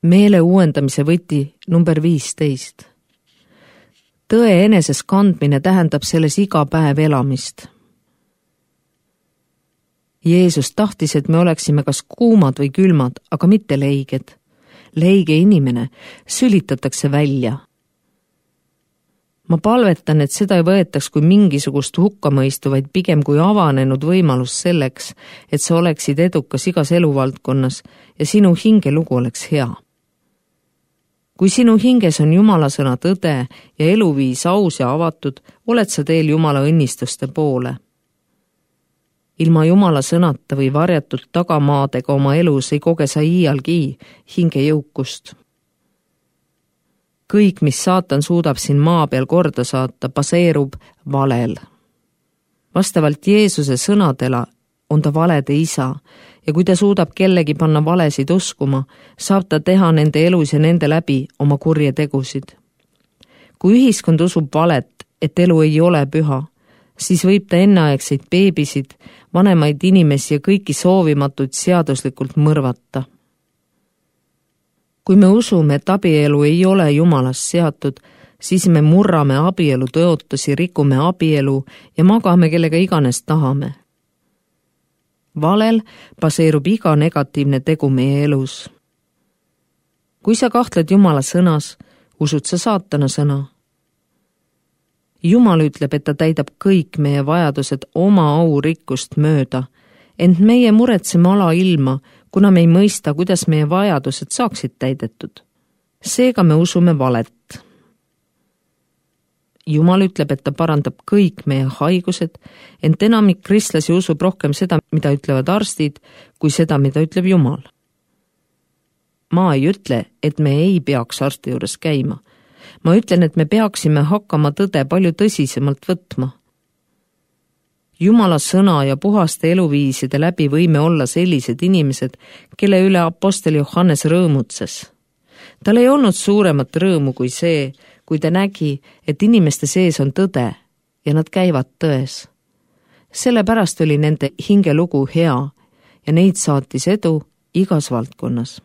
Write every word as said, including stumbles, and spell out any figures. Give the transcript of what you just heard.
meele uuendamise võti number viisteist. Tõe eneses kandmine tähendab selles iga päev elamist. Jeesus tahtis, et me oleksime kas kuumad või külmad, aga mitte leiged. Leige inimene sülitatakse välja. Ma palvetan, et seda ei võetaks kui mingisugust hukkamõistu, vaid pigem kui avanenud võimalus selleks, et sa oleksid edukas igas eluvaldkonnas ja sinu hingelugu oleks hea. Kui sinu hinges on Jumala sõna tõde ja eluviis aus ja avatud, oled sa teel Jumala õnnistuste poole. Ilma Jumala sõnata või varjatud tagamaadega oma elus ei koge sa iialgi hinge jõukust. Kõik, mis saatan suudab siin maa peal korda saata, baseerub valel. Vastavalt Jeesuse sõnadele on ta valede isa ja kui ta suudab kellegi panna valesid uskuma, saab ta teha nende elus ja nende läbi oma kurje tegusid. Kui ühiskond usub valet, et elu ei ole püha, siis võib ta enneaegseid beebisid, vanemaid inimesi ja kõiki soovimatuid seaduslikult mõrvata. Kui me usume, et abielu ei ole Jumalast seatud, siis me murrame abielu tõotusi, rikume abielu ja magame kellega iganes tahame. Valel baseerub iga negatiivne tegu meie elus. Kui sa kahtled Jumala sõnas, usud sa saatana sõna. Jumal ütleb, et ta täidab kõik meie vajadused oma au rikkust mööda, ent meie muretseme ala ilma, kuna me ei mõista, kuidas meie vajadused saaksid täidetud. Seega me usume valet. Jumal ütleb, et ta parandab kõik meie haigused, ent enamik kristlasi usub rohkem seda, mida ütlevad arstid, kui seda, mida ütleb Jumal. Ma ei ütle, et me ei peaks arsti juures käima. Ma ütlen, et me peaksime hakkama tõde palju tõsisemalt võtma. Jumala sõna ja puhaste eluviiside läbi võime olla sellised inimesed, kelle üle apostel Johannes rõõmutses. Tal ei olnud suuremat rõõmu kui see, kui ta nägi, et inimeste sees on tõde ja nad käivad tões. Sellepärast oli nende hingelugu hea ja neid saatis edu igas valdkonnas.